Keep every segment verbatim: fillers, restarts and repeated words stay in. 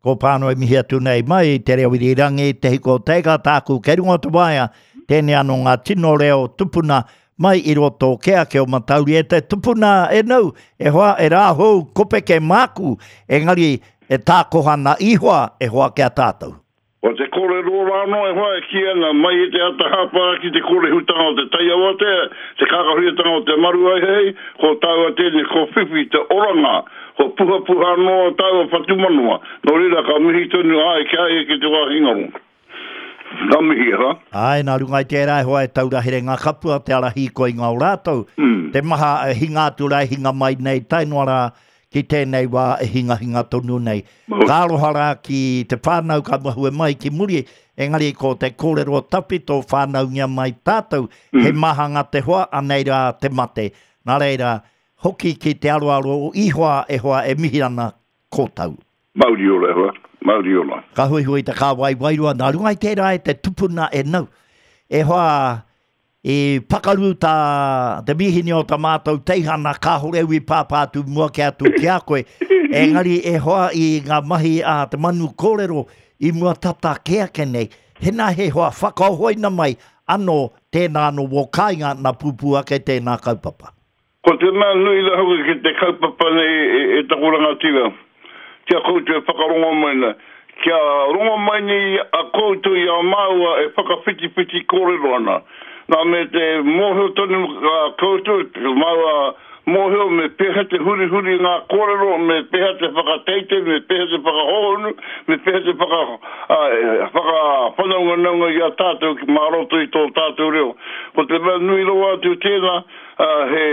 Ko pāno e mihi atu nei mai te reo irirangi, te hiko teiga tāku kei runga o te waea, tēnei anō ngā tino reo tupuna mai i roto ke ake o Matauri. E te tupuna e nau, e hoa e rāhou kopeke māku, engari e tākohana ihoa e hoa kia tātou. O te kōrero rāno e hoa e ki ana mai i te ata hāpara ki te kōrehutanga o te taiawatea, te kākahuiatanga o te maru ai hei, ko tāua tēnei, ko whiwhi te oranga, ko puhapuha noa tāua whatumanawa. Nō reira ka mihi tonu ai ki ai ki te wāhi ngaro. Ka mihi, ha? Ai, nā runga i tērā e hoa e taura here ngā kapua, te ara hīkoi ngā o rātou. Mm. Te maha e hinga atu rā, hinga mai nei, tae noa rā ki tēnei wā e hingahinga tonu nei. Ka aroha rā ki te whānau ka mahue mai ki muri, engari ko te kōrero tawhito whānaungia mai tātou, mm. he mahanga te hoa, anei rā te mate. Nā reira, hoki ki te aroaro o ihoa e hoa e mihi ana kōtau. Mauri ora e hoa, mauri ora. Ka huihui te kāwai wairua, nā runga i tērā e te tupuna e nau. E hoa, i pakaru tā te mihini o tā mātou teihana, kāhore ui pāpā atu mua ki atu ki a koe. Engari e hoa i ngā mahi a te manu kōrero i mua tata ke ake nei. Hena he hoa whakahoina mai anō tēnā anō wō kāinga nā pūpū ake tēnā kaupapa. Ko te mea nui la hoki ki te kaupapa nei e, e taku rangatira. Kia koutou e whakarongo mai nei. Kia rongo mai nei a koutou i a māua e whakawhitiwhiti kōrero ana. Nā me te mōhio tonu a koutou, māua mōhio me pēhea te hurihuri ngā kōrero, me pēhea te whakateite, me pēhea te whakahohonu, me pēhea te whaka, uh, whakawhanaunganaunga i a tātou ki mā roto i tō tātou reo. Ko te mea nui rawa atu tēnā, uh, he,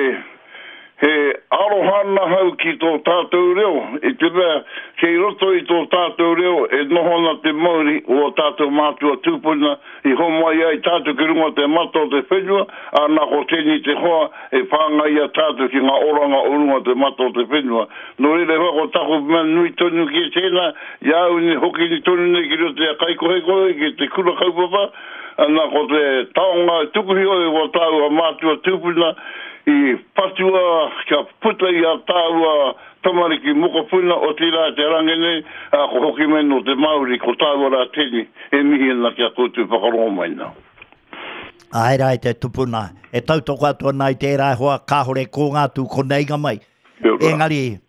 he aroha nahau ki tō tātou reo. I te mea, kei roto i tō tātou reo e noho ana te mauri o ō tātou mātua tūpuna i homai ai tātou ki runga te mata o te whenua, ā nā ko tēnei te hoa e whāngai i a tātou ki ngā oranga o runga te mata o te whenua. Nō reira hoa ko taku mea nui tonu ki tēnā, i a au nei hoki ni tonu nei ki roto i a Kaikohekohe, ki te kura kaupapa, nā ko te taonga e tukuhi oi o tāua mātua tūpuna i patua kia puta i a tāua tamariki mokopuna o tērā te rangi nei, a ko hoki mai no te Māori, ko tāua rā tēnei, e mihi ana ki a koutou whakarongo mai nā. Ai rā i te tupuna, e tautoko atu ana i tērā hoa, kāhore ko ngā tū koneinga mai. Engari,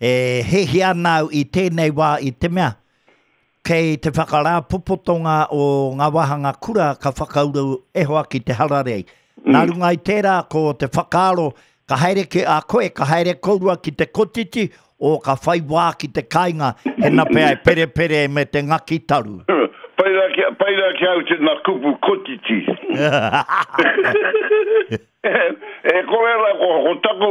e hehia ana au i tēnei wā i te mea, kei te whakarāpopotonga o ngā wāhanga kura ka whakauru e hoa ki te hararei. Mm. Nā runga i tērā ko te whakaaro, ka haere ke a koe, ka haere kourua ki te kotiti, o ka whai wā ki te kāinga, hena pea e perepere me te ngaki taru. Pai rā ki, pai rā ki au tēnā kupu kotiti. E kore rā, ko, ko taku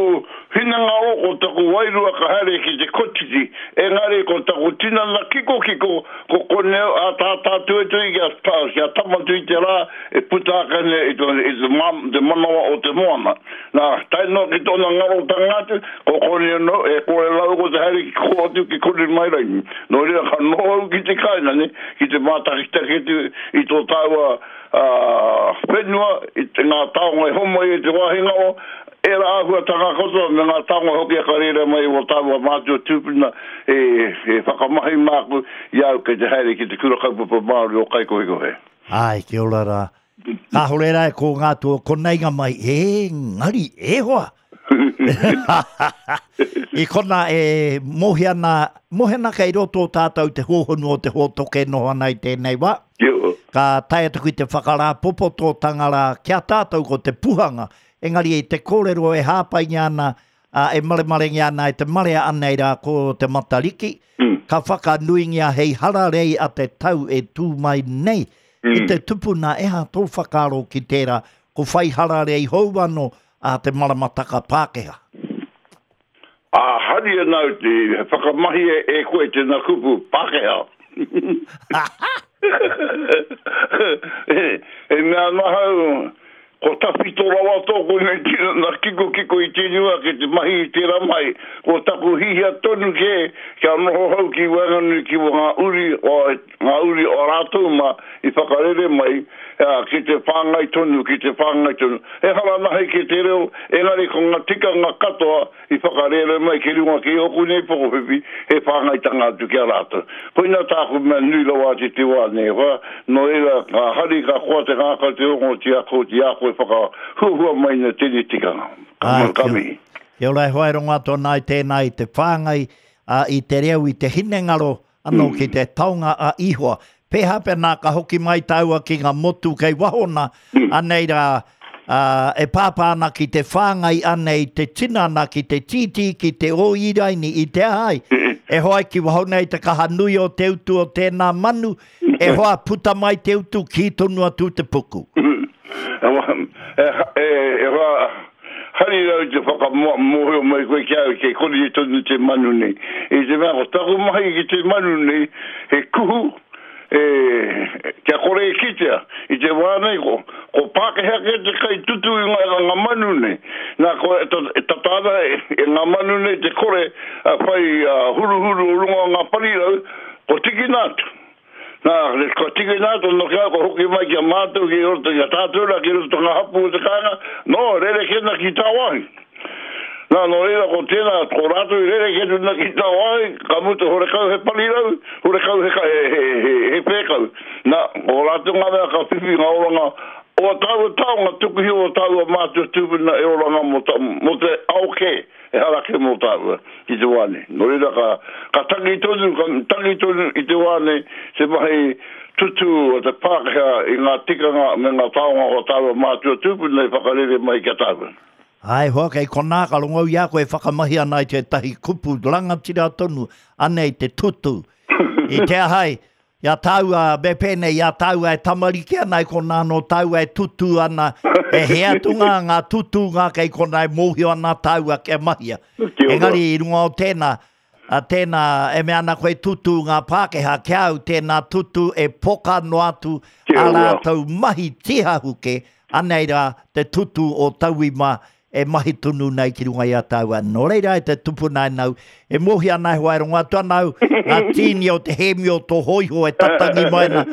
hinengaro, ko taku wairua ka haere ki te kotiti. Engari ko taku tinana kikokiko, ko konei a tātā tuetui kia, kia tamatu i te rā, e puta ake nei i te, i te, ma, te manawa o te moana. Nā, tae noa ki tōna ngarotanga atu, ko konei anō, e kore rau ko te haere ki kō atu ki konei mai rangi. Nō reira ka noho au ki te kāinga nei, ki te mātakitaki atu i tō tāua uh, whenua, i te ngā taonga e homai e te wāhi ngaro, era āhuatanga katoa me ngā taonga hoki a ka reira mai o tāua mātua tūpuna e, e whakamahi māku i au kei te haere ki te kura kaupapa Māori o Kaikohekohe. Ai, kia ora rā. Kāhore rā e ko ngā tua koneinga mai, e ngari, e hoa. I kona e mohi ana, mohi ana kei roto o tātou te hōhonu o te hōtoke noho ana i tēnei wā. Kia. Ka tae atu ki te whakarāpopototanga rā kia tātou ko te puhanga. Engari i te kōrero e hāpaingia ana, a, e maremarengia ana e te marea anei rā ko te Matariki, mm. ka whakanuingia hei hararei a te tau e tū mai nei. Mm. I te tupuna e ha tō whakaaro ki tērā, ko whai hararei hou anō a te maramataka Pākehā. A hari ana au te whakamahi e, e koe tēnā kupu Pākehā. E, e mea ana hau, Ko tawhito rawa tōku nei tinana kikokiko i tēnei wā ki te mahi i tērā mahi. Ko taku hihia tonu kē kia noho hau ki waenganui ki ngā uri o, ngā uri o rātou mā i whakarere mai ki te whāngai tonu, ki te whāngai tonu. Ehara nahi ki te reo, engari ko ngā tikanga katoa i whakarere mai ki runga ki ōku nei pokowhiwhi, he whāngaitanga atu ki a rātou. Koina tāku mea nui rawa atu i te wā nei, hoa, nō reira, ka hari, ka koa te ngākau te rongo ti a koe, ti a koe whakahuahua mai na tēnei tikanga. Ka, ka mihi. Kia ora e hoa e rongo atu ana i tēnā i te whāngai, a, i te reo, i te hinengaro, anō mm. ki te taonga a Ihoa. Pēhā pēnā ka hoki mai tāua ki ngā motu kei waho nā, mm. anei rā, uh, e pāpā ana ki te whāngai anei te tinana ki te tītī, ki te ōiraini, i te ahai. E hoa ki waho nei te kaha nui o te utu o tēnā manu, e hoa puta mai te utu ki tonu atu te puku. E, e, e hoa, hari rau te whakamōhio mai koe ki au, kei kore e tonu te manu nei. I te mea, ko taku mahi ki te manu nei, he kuhu, e, kia kore e kitea. I te wā nei, ko, ko Pākehā ke te kai tutu i ngā, ngā manu nei. Nā, ko e, e tata ana e, e ngā manu nei te kore a, whai a, huruhuru o runga o ngā parirau, ko tikina atu. Nā, ko tikina atu, no kia ko hoki mai ki a mātou, ki roto, ki a tātou rā, ki roto ngā hapu o te kāinga, no, rerekē ki tāwāhi. Nā, nō reira, ko tēnā, ko rātou i rerekē tuna ki tāwāhi, ka mutu horekau he parirau, horekau he, he, he, he, he pēkau. Nā, ko rātou ngā mea ka whiwhi ngā oranga o a tāua taonga tukuhi o tāua mātua tūpuna e oranga mō, ta, mō te ao kē, e harake mō tāua i te wā nei. Nō reira, ka, ka tangi tonu, ka tangi tonu i te wā nei, te mahi tutu o te Pākehā i ngā tikanga me ngā taonga o tāua mātua tūpuna i whakarere mai ki a tāua. Ai hoa, kei konā ka rongo i a koe e whakamahi ana i tētahi kupu rangatira tonu, anei te tutu. I te ahai, i a tāua, me pēnei, i a tāua e tamariki ana, i konā no tāua e tutu ana, e he atu ngā, ngā tutūnga kei konā e mōhio ana tāua kia mahia. Engari i runga o tēnā, a tēnā, e mea ana koe tutu ngā Pākehā, kia au tēnā tutu e poka noa atu a rātou mahi tihahuke, anei rā te tutu o tauwi mā e mahi tonu nei ki runga i a tāua. Nō reira e te tupuna e nau, e mōhio ana e hoa e rongo atu ana au, ngā tīni o te hēmi o tō hōiho e tatangi mai ana,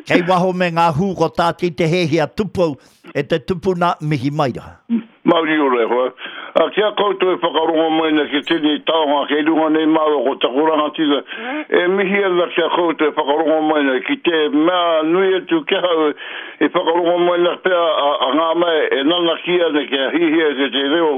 kei waho me ngā hū ko tāti te hēhia tupou e te tupuna mihi mai rā. Mauri ora e hoa. A, kia koutou e whakarongo mai na ki tēnei taonga kei runga nei māua ko taku rangatira, e mihi ana kia koutou e whakarongo mai na ki te mea nui atu ki ahau e whakarongo mai na pea a, a ngā mea e nanaki ana kia hihia ki te reo,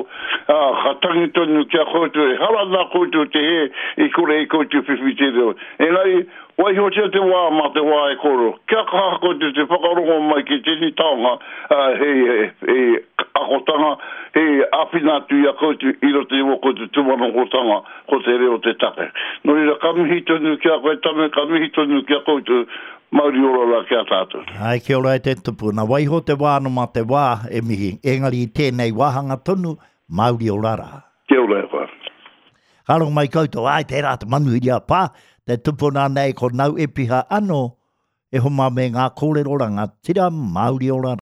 a, ka tangi tonu kia koutou e hara nā koutou te he i kore i koutou whiwhi te reo. Engari, waihotia te wā mā te wā e koro. Kia kaha koutou te whakarongo mai ki tēnei taonga, uh, hei, hei, hei akotanga, hei āwhina atu i a koutou i roto i o koutou tūmanokotanga ko te reo te take. Nō reira, ka mihi tonu ki a koe tame, ka mihi tonu ki a koutou, mauri ora rā ki a tātou. Ai, kia ora e te tupuna. Waiho te wā no mā te wā e mihi. Engari i tēnei wāhanga tonu, mauri ora rā. Kia ora e koe. Ka rongo mai koutou, ai tērā te manuhiri a pā, te tupuna nei ko Nau Epiha anō, e homa me ngā kōrero rangatira mauri ora rā.